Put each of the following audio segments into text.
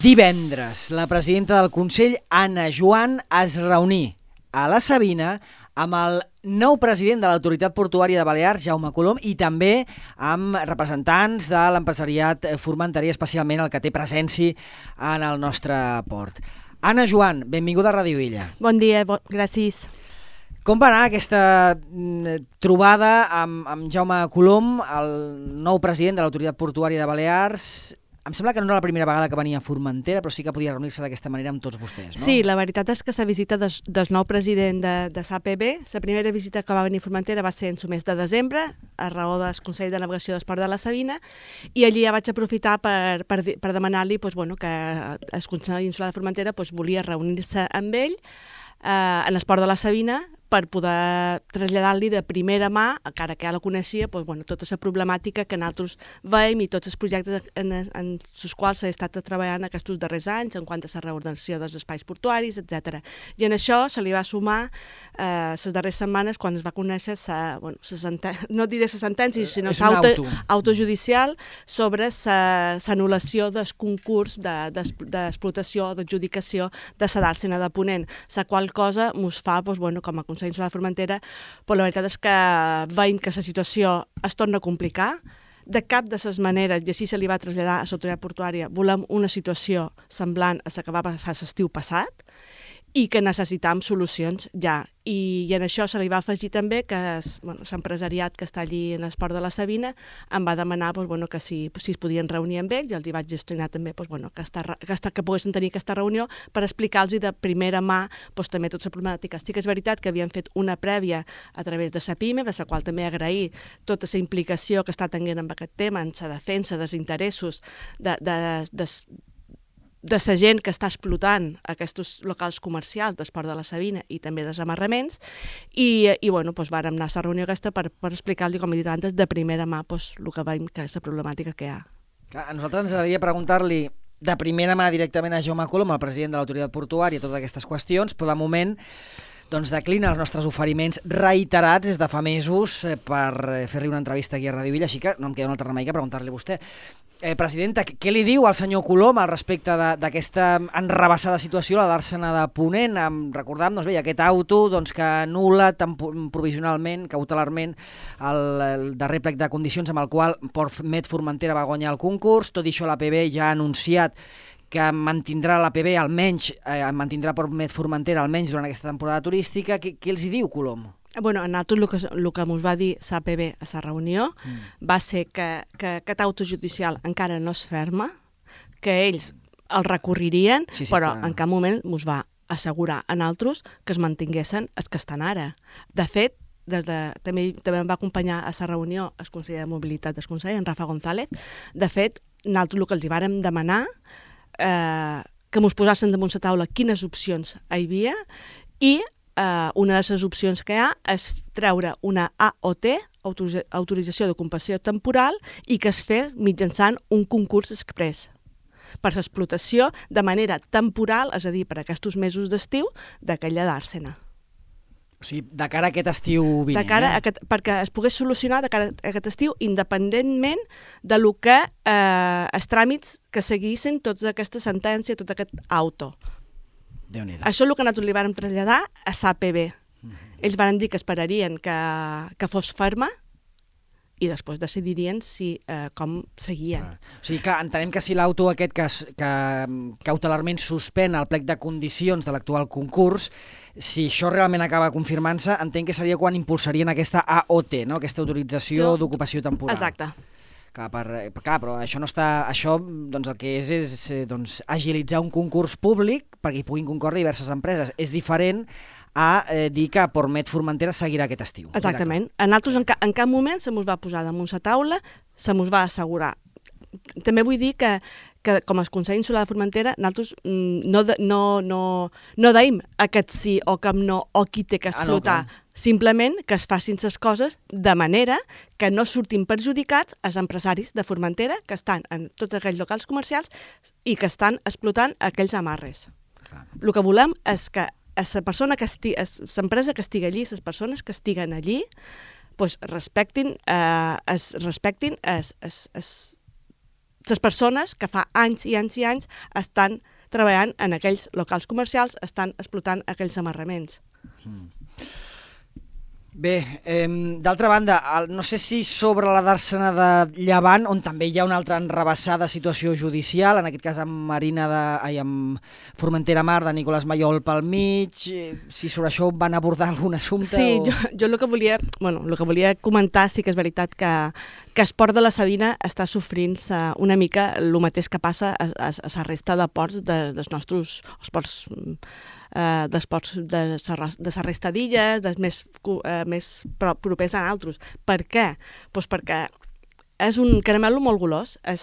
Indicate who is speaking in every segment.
Speaker 1: Divendres, la presidenta del Consell, Anna Joan, es reuní a la Sabina amb el nou president de l'Autoritat Portuària de Balears, Jaume Colom, i també amb representants de l'empresariat formenterí, especialment el que té presència en el nostre port. Anna Joan, benvinguda a Ràdio Illa.
Speaker 2: Bon dia, gràcies.
Speaker 1: Com va anar aquesta trobada amb Jaume Colom, el nou president de l'Autoritat Portuària de Balears? Em sembla que no era la primera vegada que venia a Formentera, però sí que podia reunir-se d'aquesta manera amb tots vostès, no?
Speaker 2: Sí, la veritat és que la visita del nou president de l'APB, la primera visita que va venir a Formentera va ser en el mes de desembre, a raó del Consell de Navegació d'Esport de la Sabina, i allí ja vaig aprofitar per demanar-li que el Consell Insular de Formentera volia reunir-se amb ell en l'Esport de la Sabina per poder traslladar-li de primera mà, encara que ja la coneixia, tota la problemàtica que nosaltres veiem i tots els projectes en els quals s'ha estat treballant aquests darrers anys en quant a la reordenació dels espais portuaris, etc. I en això se li va sumar les darreres setmanes quan es va conèixer no diré la sentència, sinó l'auto judicial sobre l'anul·lació del concurs d'explotació o d'adjudicació de la dàrsena de Ponent, la qual cosa ens fa, com a Consell Insular de Formentera, la veritat és que veiem que la situació es torna a complicar. De cap de les maneres, i així se li va traslladar a l'autoritat portuària, volem una situació semblant a la que va passar l'estiu passat i que necessitam solucions ja. I en això se li va afegir també que l'empresariat que està allí en l'Esport de la Sabina em va demanar que si es podien reunir amb ells, i els hi vaig gestionar també que poguessin tenir aquesta reunió per explicar-los de primera mà també tota la problemàtica. Sí que és veritat que havien fet una prèvia a través de la PIME, de la qual també agrair tota la implicació que està tenint en aquest tema, en la defensa dels interessos de la gent que està explotant aquests locals comercials d'Esport de la Sabina i també dels amarraments, i vàrem anar a la reunió aquesta per explicar-li, com he dit abans, de primera mà el que veiem que és la problemàtica que hi ha.
Speaker 1: A nosaltres ens agradaria preguntar-li de primera mà directament a Jaume Colom, el president de l'Autoritat Portuària, totes aquestes qüestions, però de moment declina els nostres oferiments reiterats des de fa mesos per fer-li una entrevista aquí a Ràdio Illa, així que no em queda un altre remei que preguntar-li a vostè. Presidenta, què li diu al senyor Colom al respecte d'aquesta enrabassada situació, la dàrsena de Ponent? Recordam, aquest auto que anul·la provisionalment, cautelarment, el darrer plec de condicions amb el qual Portmet Formentera va guanyar el concurs. Tot i això, l'APB ja ha anunciat que mantindrà l'APB almenys, mantindrà Portmet Formentera almenys durant aquesta temporada turística. Què els hi diu Colom?
Speaker 2: A nosaltres el que ens va dir l'APB a la reunió va ser que aquest auto judicial encara no es ferma, que ells el recorririen, però en cap moment ens va assegurar a nosaltres que es mantinguessin els que estan ara. De fet, també em va acompanyar a la reunió el conseller de Mobilitat del Consell, en Rafa González. De fet, nosaltres el que els hi vàrem demanar que ens posessin damunt la taula quines opcions hi havia, i una de les opcions que hi ha és treure una AOT, autorització d'ocupació temporal, i que es fes mitjançant un concurs express per l'explotació de manera temporal, és a dir, per aquests mesos d'estiu, d'aquella dàrsena.
Speaker 1: O sigui, de cara a aquest estiu vinent.
Speaker 2: Perquè es pogués solucionar de cara a aquest estiu, independentment de lo que els tràmits que seguissin tota aquesta sentència, tot aquest auto. Això és el que nosaltres li vàrem traslladar a l'APB. Ells van dir que esperarien que fos ferma i després decidirien com seguien.
Speaker 1: O sigui que entenem que si l'auto aquest que cautelarment suspèn el plec de condicions de l'actual concurs, si això realment acaba confirmant-se, entenc que seria quan impulsarien aquesta AOT, no? Aquesta autorització d'ocupació temporal.
Speaker 2: Exacte.
Speaker 1: Però això no està... Això el que és agilitzar un concurs públic perquè hi puguin concórrer diverses empreses. És diferent a dir que Portmet Formentera seguirà aquest estiu.
Speaker 2: Exactament. A nosaltres en cap moment se mos va posar damunt la taula, se mos va assegurar. També vull dir que com a Consell Insular de Formentera nosaltres no deim aquest sí o cap no o qui té que explotar. Simplement que es facin les coses de manera que no surtin perjudicats els empresaris de Formentera que estan en tots aquells locals comercials i que estan explotant aquells amarres. El que volem és que l'empresa que estigui allí, les persones que estiguen allí, respectin les persones que fa anys i anys i anys estan treballant en aquells locals comercials, estan explotant aquells amarraments.
Speaker 1: Bé, d'altra banda, no sé si sobre la dàrsena de Llevant, on també hi ha una altra enrebaçada situació judicial, en aquest cas amb amb Formentera Mar de Nicolás Mayol pel mig, si sobre això van abordar algun assumpte?
Speaker 2: Sí, jo el que volia comentar sí que és veritat que Esport de la Sabina està sofrint una mica el mateix que passa a la resta de ports dels nostres esports d'esports de la resta d'illes, més propers a altres. Per què? Doncs perquè és un caramel molt golós. El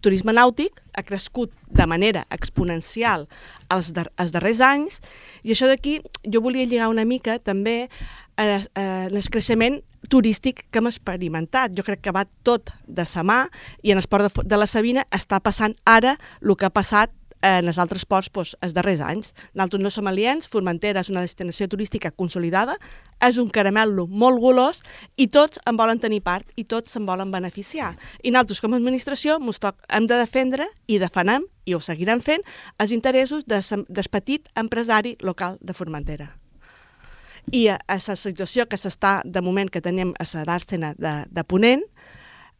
Speaker 2: turisme nàutic ha crescut de manera exponencial els darrers anys i això d'aquí jo volia lligar una mica també el creixement turístic que hem experimentat. Jo crec que va tot de sa mà i en Esport de la Sabina està passant ara el que ha passat en els altres ports els darrers anys. Nosaltres no som aliens, Formentera és una destinació turística consolidada, és un caramel·lo molt golós i tots en volen tenir part i tots se'n volen beneficiar. I nosaltres com a administració hem de defendre i defenem, i ho seguirem fent, els interessos del petit empresari local de Formentera. I a la situació que s'està, de moment, que tenim a la dàrsena de Ponent,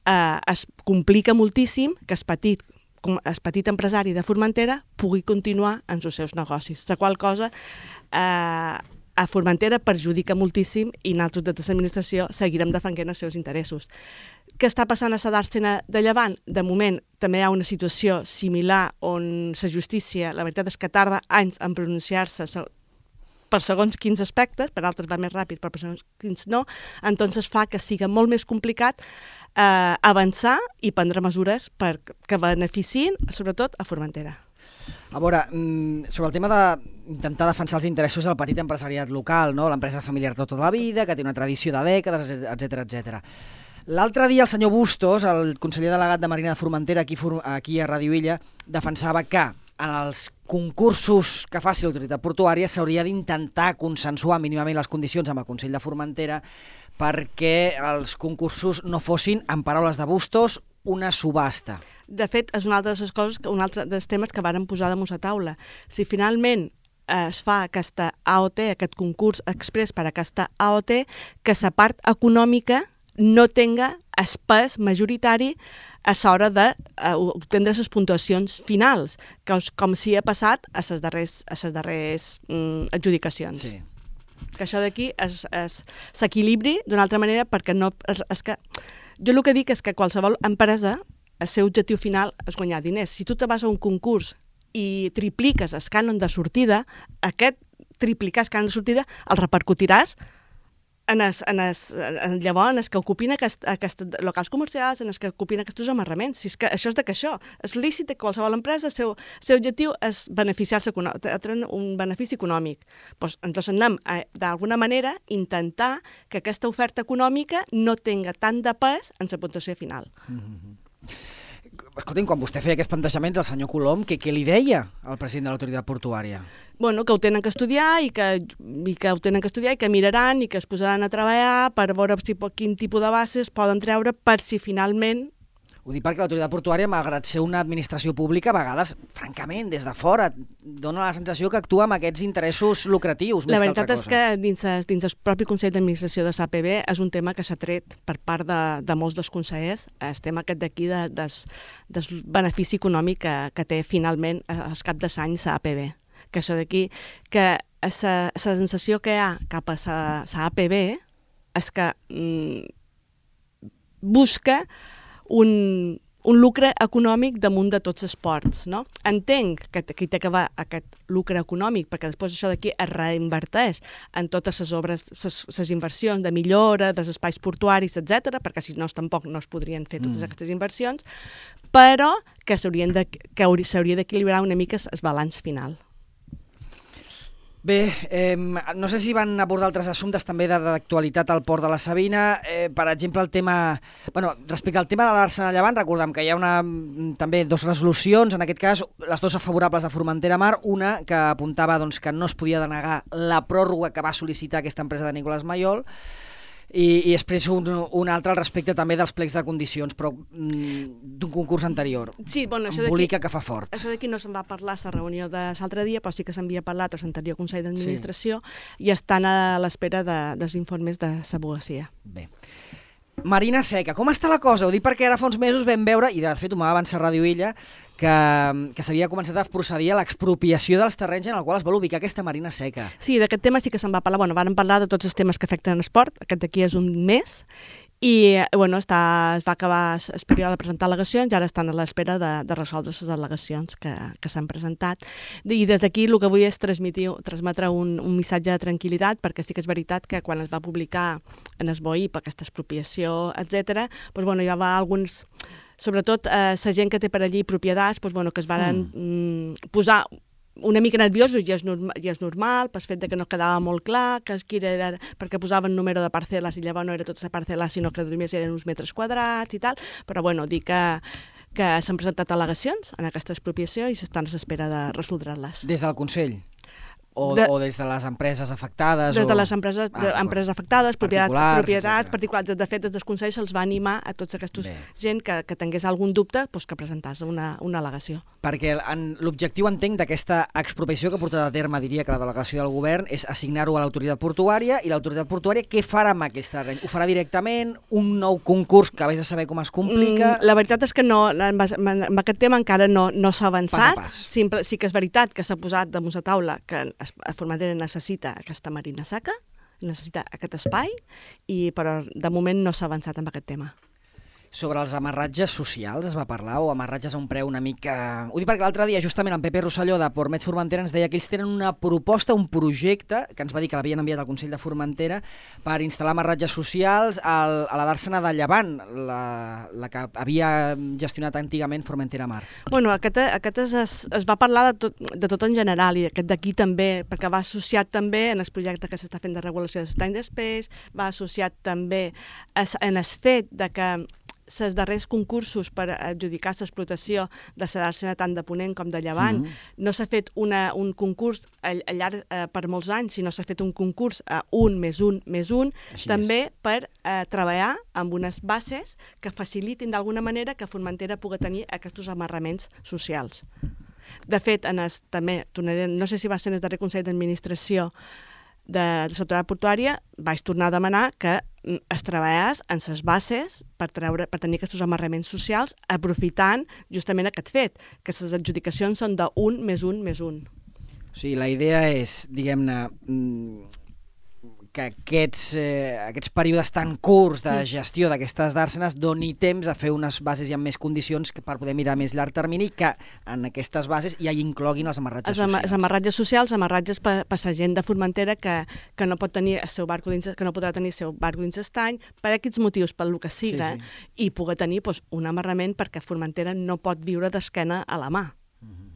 Speaker 2: es complica moltíssim que el petit empresari de Formentera pugui continuar en els seus negocis. La qual cosa a Formentera perjudica moltíssim i nosaltres des de l'administració seguirem defensant els seus interessos. Què està passant a la dàrsena de Llevant? De moment també hi ha una situació similar on la justícia, la veritat és que tarda anys en pronunciar-se per segons quins aspectes, per altres va més ràpid, però per segons quins no, entonces fa que sigui molt més complicat avançar i prendre mesures que beneficien, sobretot, a Formentera.
Speaker 1: A veure, sobre el tema d'intentar defensar els interessos del petit empresariat local, no? L'empresa familiar de tota la vida, que té una tradició de dècades, etc. L'altre dia el senyor Bustos, el conseller delegat de Marina de Formentera aquí a Radio Illa, defensava que en els concursos que faci l'autoritat portuària s'hauria d'intentar consensuar mínimament les condicions amb el Consell de Formentera perquè els concursos no fossin, en paraules de Bustos, una subhasta.
Speaker 2: De fet, és una altra de les coses, un altre dels temes que varen posar damunt la taula. Si finalment es fa aquesta AOT, aquest concurs express per a aquesta AOT, que la part econòmica no tenga el pes majoritari a l'hora d'obtendre les puntuacions finals, com si ha passat a les darreres adjudicacions. Sí. Que això d'aquí s'equilibri d'una altra manera perquè no... Jo el que dic és que qualsevol empresa, el seu objectiu final és guanyar diners. Si tu te vas a un concurs i tripliques el cànon de sortida, aquest triplicar el cànon de sortida el repercutiràs llavors en els que ocupin aquests locals comercials, en els que ocupin aquests amarraments. Si és que això és de que això. És lícit que qualsevol empresa, el seu objectiu és beneficiar-se, treure un benefici econòmic. Doncs anem, d'alguna manera, intentar que aquesta oferta econòmica no tenga tant de pes en la puntuació final.
Speaker 1: Escolti'm, quan vostè feia aquests plantejaments, el senyor Colom, què li deia al president de l'autoritat portuària?
Speaker 2: Bueno, que ho tenen que estudiar i que miraran i que es posaran a treballar per veure quin tipus de bases poden treure per si finalment...
Speaker 1: Ho dic perquè l'autoritat portuària, malgrat ser una administració pública, a vegades, francament, des de fora, dona la sensació que actua amb aquests interessos lucratius més que altra cosa.
Speaker 2: La veritat és que dins el propi Consell d'Administració de l'APB és un tema que s'ha tret per part de molts dels consellers, el tema aquest d'aquí del benefici econòmic que té finalment al cap de l'any l'APB. Que això d'aquí, que la sensació que hi ha cap a l'APB és que busca un lucre econòmic damunt de tots els ports, no? Entenc que aquí té que va aquest lucre econòmic perquè després això d'aquí es reinverteix en totes les obres, les inversions de millora, dels espais portuaris, etc, perquè si no tampoc no es podrien fer totes aquestes inversions, però que s'hauria d'equilibrar una mica el balanç final.
Speaker 1: Bé, no sé si van abordar altres assumptes també d'actualitat al Port de la Sabina. Per exemple, el tema... respecte al tema de la dàrsena de Llevant, recordem que hi ha també dues resolucions, en aquest cas les dues favorables a Formentera Mar, una que apuntava que no es podia denegar la pròrroga que va sol·licitar aquesta empresa de Nicolás Mayol, I després un altre al respecte també dels plecs de condicions, però d'un concurs anterior.
Speaker 2: Sí, bueno,
Speaker 1: Embolica que fa fort.
Speaker 2: Això d'aquí no se'n va parlar a la reunió de l'altre dia, però sí que s'havia parlat a l'anterior Consell d'Administració i estan a l'espera dels informes de l'advocacia.
Speaker 1: Bé. Marina Seca, com està la cosa? Ho dic perquè ara fa uns mesos vam veure, i de fet ho m'ha avançat Ràdio Illa, que s'havia començat a procedir a l'expropiació dels terrenys en el qual es vol ubicar aquesta Marina Seca.
Speaker 2: Sí, d'aquest tema sí que se'n va parlar. Bueno, van parlar de tots els temes que afecten l'esport, aquest d'aquí és un mes, i bueno, es va acabar el període de presentar al·legacions i ara estan a l'espera de resoldre les al·legacions que s'han presentat. I des d'aquí el que vull és transmetre un missatge de tranquil·litat, perquè sí que és veritat que quan es va publicar en el BOI per aquesta expropiació, etc., doncs, bueno, hi va alguns, sobretot la gent que té per allí propietats, doncs, bueno, que es van posar una mica nerviosos, i és normal, pel fet que no quedava molt clar, que era perquè posaven número de parcel·les i llavors no era tota la parcel·la, sinó que només eren uns metres quadrats i tal, però bueno, dir que s'han presentat al·legacions en aquesta expropiació i s'estan a l'espera de resoldre-les.
Speaker 1: Des del Consell? O des de les empreses afectades?
Speaker 2: Des de les empreses afectades, propietats particulars. De fet, des del Consell se'ls va animar a tots aquests gent que tingués algun dubte que presentés una al·legació.
Speaker 1: Perquè l'objectiu, entenc, d'aquesta expropiació que ha portat a terme, diria que la delegació del govern, és assignar-ho a l'autoritat portuària, i l'autoritat portuària què farà amb aquest terreny? Ho farà directament? Un nou concurs que vés a saber com es complica?
Speaker 2: La veritat és que no, amb aquest tema encara no s'ha avançat.
Speaker 1: Pas a pas.
Speaker 2: Sí que és veritat que s'ha posat damunt la taula que Formentera necessita aquesta Marina Seca, necessita aquest espai, però de moment no s'ha avançat amb aquest tema.
Speaker 1: Sobre els amarratges socials es va parlar, o amarratges a un preu una mica... Ho dic perquè l'altre dia, justament, en Pepe Rosselló de Portmet Formentera ens deia que ells tenen una proposta, un projecte, que ens va dir que l'havien enviat al Consell de Formentera, per instal·lar amarratges socials a la dàrsena de Llevant, la que havia gestionat antigament Formentera Mar.
Speaker 2: Bueno, aquest es va parlar de tot en general, i aquest d'aquí també, perquè va associat també en el projecte que s'està fent de regulació d'estany d'espais, va associat també en el fet de que els darrers concursos per adjudicar l'explotació de la dàrsena tant de Ponent com de Llevant, no s'ha fet un concurs al llarg per molts anys, sinó s'ha fet un concurs a 1+1+1, també per treballar amb unes bases que facilitin d'alguna manera que Formentera pugui tenir aquests amarraments socials. De fet, també, no sé si va ser en el darrer Consell d'Administració de l'autoritat portuària, vaig tornar a demanar que es treballés en les bases per tenir aquests amarraments socials, aprofitant justament aquest fet, que les adjudicacions són de 1+1+1.
Speaker 1: O sigui, la idea és, diguem-ne, que aquests períodes tan curts de gestió d'aquestes dàrsenes doni temps a fer unes bases i amb més condicions per poder mirar més llarg termini, que en aquestes bases ja hi incloguin els amarratges socials.
Speaker 2: Els amarratges socials, amarratges per la gent de Formentera que no pot tenir el seu barco dins, que no podrà tenir el seu barco dins l'estany, per aquests motius, pel que siga, i poder tenir un amarrament, perquè Formentera no pot viure d'esquena a la mà.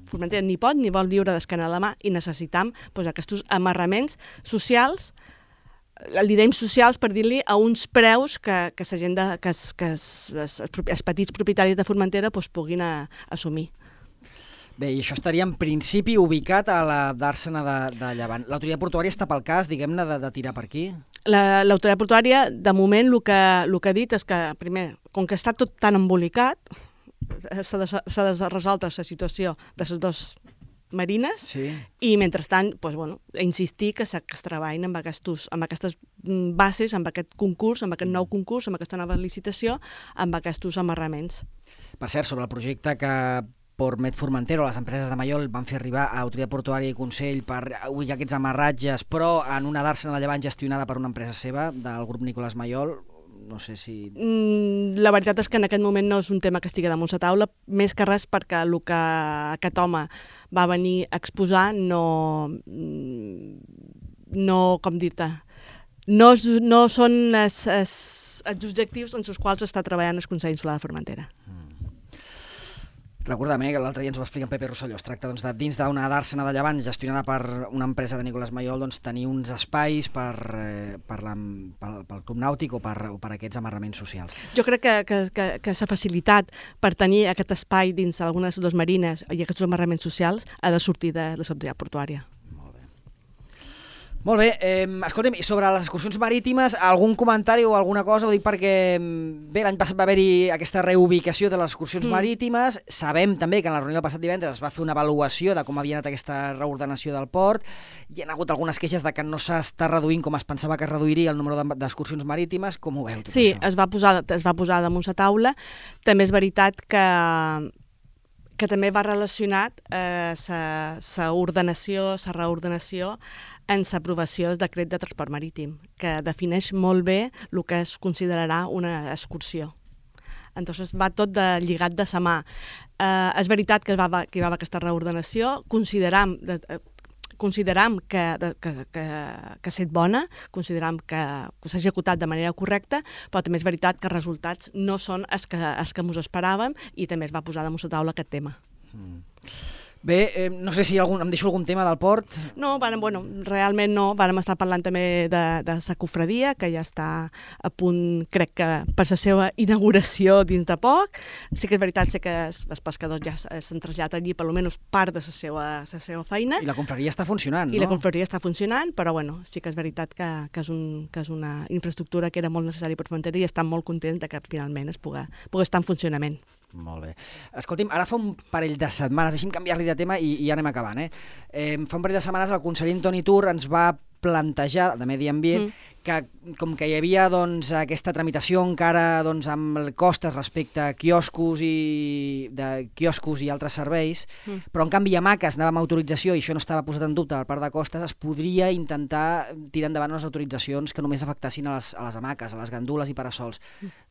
Speaker 2: Formentera ni pot ni vol viure d'esquena a la mà, i necessitam aquests amarraments socials, li dèiem socials per dir-li a uns preus que la gent els petits propietaris de Formentera puguin assumir.
Speaker 1: Bé, i això estaria en principi ubicat a la dàrsena de Llevant. L'autoritat portuària està pel cas, diguem-ne, de tirar per aquí?
Speaker 2: L'autoritat portuària, de moment, el que ha dit és que, primer, com que està tot tan embolicat, s'ha de resoldre la situació de les dues marines, i mentrestant insistir que es treballin amb aquestes bases, amb aquest concurs, amb aquest nou concurs, amb aquesta nova licitació, amb aquests amarraments.
Speaker 1: Per cert, sobre el projecte que Portmet Formentera o les empreses de Mallol van fer arribar a Autoritat Portuària i Consell per ubicar aquests amarratges, però en una dàrsena de Llevant gestionada per una empresa seva, del grup Nicolás Mallol, no sé si...
Speaker 2: La veritat és que en aquest moment no és un tema que estigui damunt la taula, més que res perquè el que aquest home va venir a exposar no com dir-te, no són els objectius en els quals està treballant el Consell Insular de Formentera.
Speaker 1: Recordem que l'altre dia ens ho va explicar en Pepe Rosselló. Es tracta de dins d'una dàrsena de Llevant gestionada per una empresa de Nicolás Mallol, tenir uns espais pel Club Nàutic o per aquests amarraments socials.
Speaker 2: Jo crec que la facilitat per tenir aquest espai dins alguna de les dues marines i aquests amarraments socials ha de sortir de l'autoritat portuària.
Speaker 1: Molt bé, escolta'm, i sobre les excursions marítimes, algun comentari o alguna cosa? Ho dic perquè, bé, l'any passat va haver-hi aquesta reubicació de les excursions marítimes. Sabem també que en la reunió del passat divendres es va fer una avaluació de com havia anat aquesta reordenació del port. Hi ha hagut algunes queixes de que no s'està reduint com es pensava que es reduiria el número d'excursions marítimes. Com ho veu, tot
Speaker 2: això? Sí, es va posar damunt la taula. També és veritat que també va relacionat sa reordenació en l'aprovació del decret de transport marítim, que defineix molt bé el que es considerarà una excursió. Entonces va tot lligat de sa mà. És veritat que hi va haver aquesta reordenació, consideram que ha estat bona, consideram que s'ha executat de manera correcta, però també és veritat que els resultats no són els que ens esperàvem i també es va posar damunt la taula aquest tema.
Speaker 1: Bé, no sé si em deixo algun tema del port.
Speaker 2: No, realment no. Vàrem estar parlant també de la cofradia, que ja està a punt, crec que per la seva inauguració dins de poc. Sí que és veritat que els pescadors ja s'han traslladat allí, per almenys part de la seva feina.
Speaker 1: I la confraria està funcionant, no?
Speaker 2: I la confraria està funcionant, però sí que és veritat que és una infraestructura que era molt necessària per Formentera i estan molt contents que finalment es pugui estar en funcionament.
Speaker 1: Molt bé. Escolti'm, ara fa un parell de setmanes, deixi'm canviar-li de tema i ja anem acabant, fa un parell de setmanes el conseller Antoni Tur ens va plantejar, de Medi Ambient, que com que hi havia aquesta tramitació encara amb costes respecte a quioscos i altres serveis, però en canvi hamaques anàvem a autorització i això no estava posat en dubte per part de costes, es podria intentar tirar endavant unes autoritzacions que només afectassin a les hamaques, a les gandules i parasols.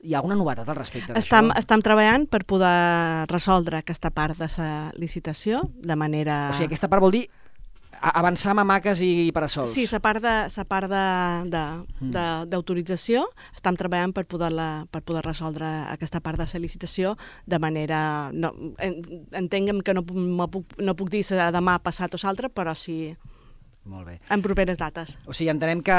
Speaker 1: Hi ha alguna novetat al respecte d'això?
Speaker 2: Estem treballant per poder resoldre aquesta part de la licitació de manera...
Speaker 1: O sigui, aquesta part vol dir avançar amb hamaques i parasols.
Speaker 2: Sí, la part d'autorització estem treballant per poder resoldre aquesta part de la licitació de manera... Entenguem que no puc dir serà demà, passat o l'altre, però sí...
Speaker 1: Molt bé.
Speaker 2: En properes dates.
Speaker 1: O sigui, entenem que,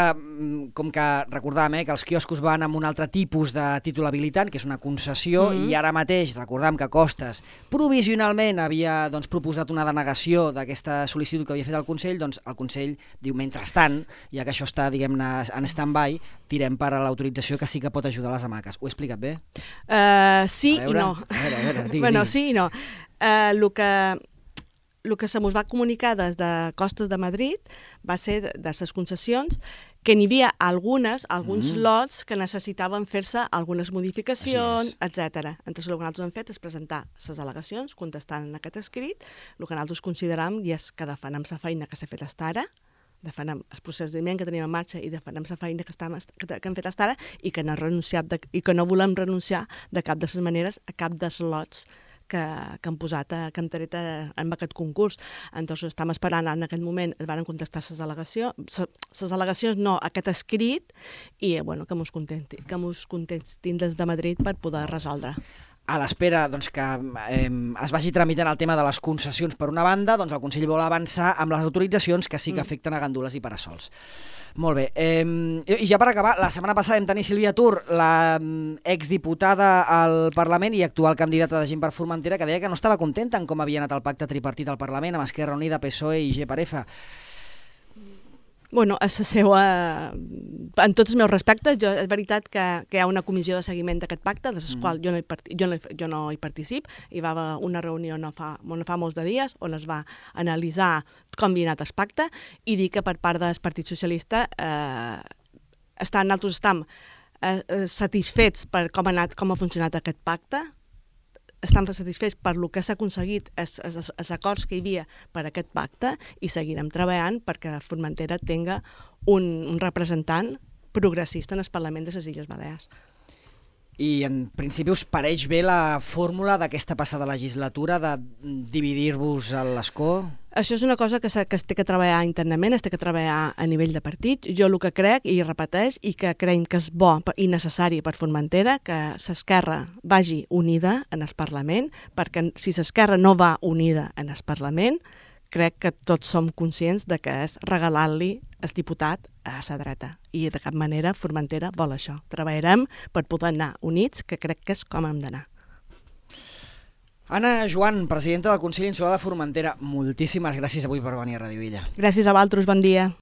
Speaker 1: com que recordàvem, que els quioscos van amb un altre tipus de títol habilitant, que és una concessió, i ara mateix recordàvem que Costes provisionalment havia proposat una denegació d'aquesta sol·licitud que havia fet el Consell, doncs el Consell diu, mentrestant, ja que això està, diguem-ne, en stand-by, tirem per a l'autorització que sí que pot ajudar les hamaques. Ho he explicat bé?
Speaker 2: Sí i no.
Speaker 1: A veure, digui.
Speaker 2: Bueno, sí i no. El que se mos va comunicar des de Costes de Madrid va ser de les concessions que n'hi havia alguns lots que necessitaven fer-se algunes modificacions, etc. Entonces, el que nosaltres hem fet és presentar les al·legacions, contestant en aquest escrit. El que nosaltres consideram és que defenem la feina que s'ha fet fins ara, defenem el procediment que tenim en marxa i defenem la feina que hem fet fins ara i que no volem renunciar de cap de les maneres a cap dels lots que han posat, que hem tret en aquest concurs. Entonces, estem esperant, en aquest moment es van contestar les al·legacions, no, aquest escrit, i que mos contestin des de Madrid per poder resoldre.
Speaker 1: A l'espera que es vagi tramitant el tema de les concessions per una banda, el Consell vol avançar amb les autoritzacions que sí que afecten a gandules i parasols. Molt bé. I ja per acabar, la setmana passada vam tenir Sílvia Tur, la exdiputada al Parlament i actual candidata de Gent per Formentera, que deia que no estava contenta en com havia anat el pacte tripartit al Parlament amb Esquerra Unida, PSOE i G-Parefa.
Speaker 2: Bueno, en tots els meus respectes, és veritat que hi ha una comissió de seguiment d'aquest pacte, de la qual jo no hi particip. Hi va haver una reunió no fa molts de dies on es va analitzar com havia anat el pacte i dir que per part del Partit Socialista nosaltres estem satisfets per com ha funcionat aquest pacte, estem satisfets per el que s'ha aconseguit, els acords que hi havia per aquest pacte, i seguirem treballant perquè Formentera tinga un representant progressista en el Parlament de les Illes Balears.
Speaker 1: I en principi us pareix bé la fórmula d'aquesta passada legislatura de dividir-vos a l'escó?
Speaker 2: Això és una cosa que es té que treballar internament, es té que treballar a nivell de partit. Jo el que crec, i repeteix, i que creiem que és bo i necessari per Formentera, que l'Esquerra vagi unida en el Parlament, perquè si l'Esquerra no va unida en el Parlament, crec que tots som conscients de que és regalar-li el diputat a la dreta. I de cap manera Formentera vol això. Treballarem per poder anar units, que crec que és com hem d'anar.
Speaker 1: Anna Joan, presidenta del Consell Insular de Formentera, moltíssimes gràcies avui per venir a Radio Illa.
Speaker 2: Gràcies a vosaltres, bon dia.